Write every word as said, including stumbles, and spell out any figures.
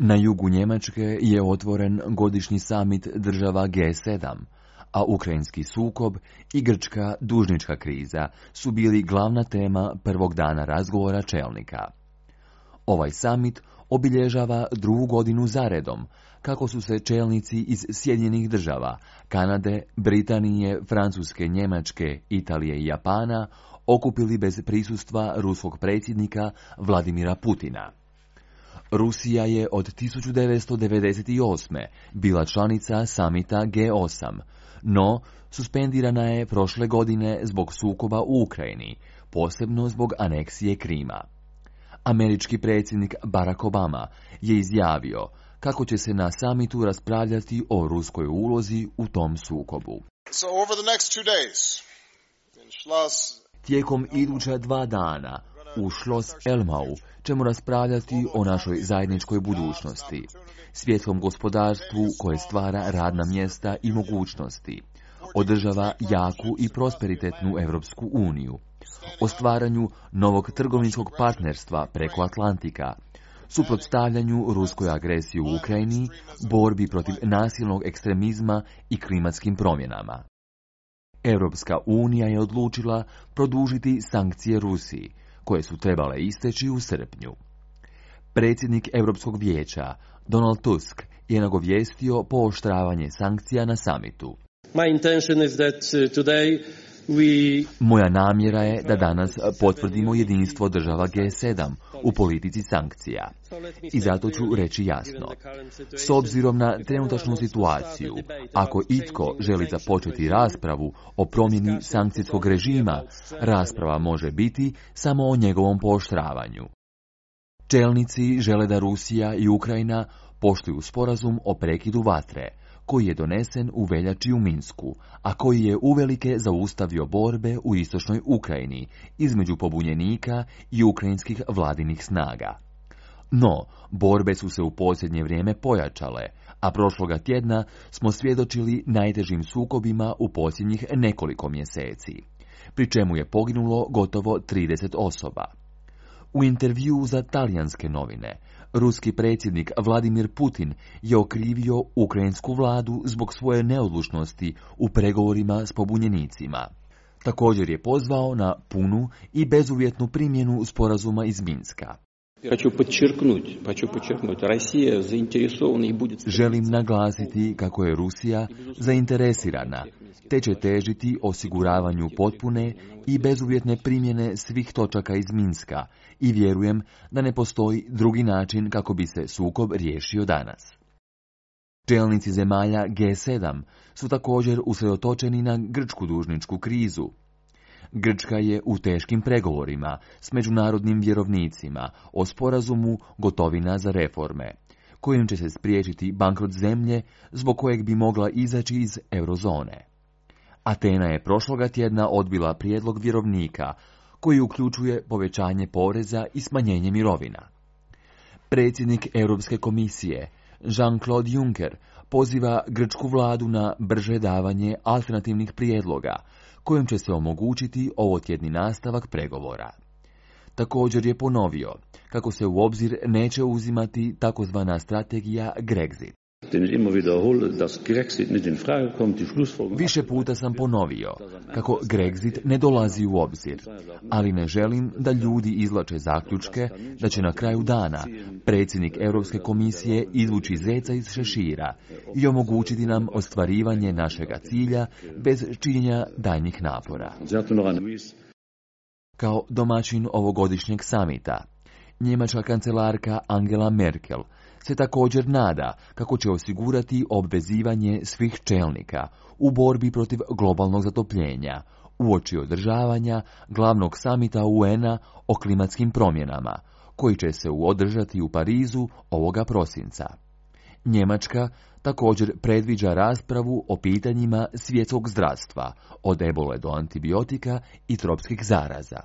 Na jugu Njemačke je otvoren godišnji samit država G sedam, a ukrajinski sukob i grčka dužnička kriza su bili glavna tema prvog dana razgovora čelnika. Ovaj samit obilježava drugu godinu zaredom, kako su se čelnici iz Sjedinjenih država, Kanade, Britanije, Francuske, Njemačke, Italije i Japana okupili bez prisustva ruskog predsjednika Vladimira Putina. Rusija je od tisuću devetsto devedeset osme. bila članica samita G osam, no suspendirana je prošle godine zbog sukoba u Ukrajini, posebno zbog aneksije Krima. Američki predsjednik Barack Obama je izjavio kako će se na samitu raspravljati o ruskoj ulozi u tom sukobu. So over the next two days, in Schloss... Tijekom iduća dva dana u Schloss Elmau ćemo raspravljati o našoj zajedničkoj budućnosti, svjetskom gospodarstvu koje stvara radna mjesta i mogućnosti, održava jaku i prosperitetnu Europsku uniju, o stvaranju novog trgovinskog partnerstva preko Atlantika, suprotstavljanju ruskoj agresiji u Ukrajini, borbi protiv nasilnog ekstremizma i klimatskim promjenama. Europska unija je odlučila produžiti sankcije Rusiji, koje su trebale isteći u srpnju. Predsjednik Europskog vijeća, Donald Tusk, je nagovijestio pooštravanje sankcija na samitu. My intention is that today we... Moja namjera je da danas potvrdimo jedinstvo država G sedam u politici sankcija. I zato ću reći jasno. S obzirom na trenutačnu situaciju, ako itko želi započeti raspravu o promjeni sankcijskog režima, rasprava može biti samo o njegovom pooštravanju. Čelnici žele da Rusija i Ukrajina poštuju sporazum o prekidu vatre, koji je donesen u veljači u Minsku, a koji je uvelike zaustavio borbe u istočnoj Ukrajini između pobunjenika i ukrajinskih vladinih snaga. No, borbe su se u posljednje vrijeme pojačale, a prošloga tjedna smo svjedočili najtežim sukobima u posljednjih nekoliko mjeseci, pri čemu je poginulo gotovo trideset osoba. U intervjuu za talijanske novine, ruski predsjednik Vladimir Putin je okrivio ukrajinsku vladu zbog svoje neodlučnosti u pregovorima s pobunjenicima. Također je pozvao na punu i bezuvjetnu primjenu sporazuma iz Minska. Želim naglasiti kako je Rusija zainteresirana, te će težiti osiguravanju potpune i bezuvjetne primjene svih točaka iz Minska i vjerujem da ne postoji drugi način kako bi se sukob riješio danas. Čelnici zemalja G sedam su također usredotočeni na grčku dužničku krizu. Grčka je u teškim pregovorima s međunarodnim vjerovnicima o sporazumu gotovina za reforme, kojim će se spriječiti bankrot zemlje zbog kojeg bi mogla izaći iz eurozone. Atena je prošloga tjedna odbila prijedlog vjerovnika, koji uključuje povećanje poreza i smanjenje mirovina. Predsjednik Europske komisije, Jean-Claude Juncker, poziva grčku vladu na brže davanje alternativnih prijedloga, kojim će se omogućiti ovotjedni nastavak pregovora. Također je ponovio kako se u obzir neće uzimati takozvana strategija Grexit. Više puta sam ponovio kako Grexit ne dolazi u obzir, ali ne želim da ljudi izvlače zaključke da će na kraju dana predsjednik Europske komisije izvući zeca iz šešira i omogućiti nam ostvarivanje našega cilja bez činjenja daljnjih napora. Kao domaćin ovogodišnjeg samita, njemačka kancelarka Angela Merkel se također nada kako će osigurati obvezivanje svih čelnika u borbi protiv globalnog zatopljenja, uoči održavanja glavnog samita U N-a o klimatskim promjenama, koji će se održati u Parizu ovoga prosinca. Njemačka također predviđa raspravu o pitanjima svjetskog zdravstva, od ebole do antibiotika i tropskih zaraza.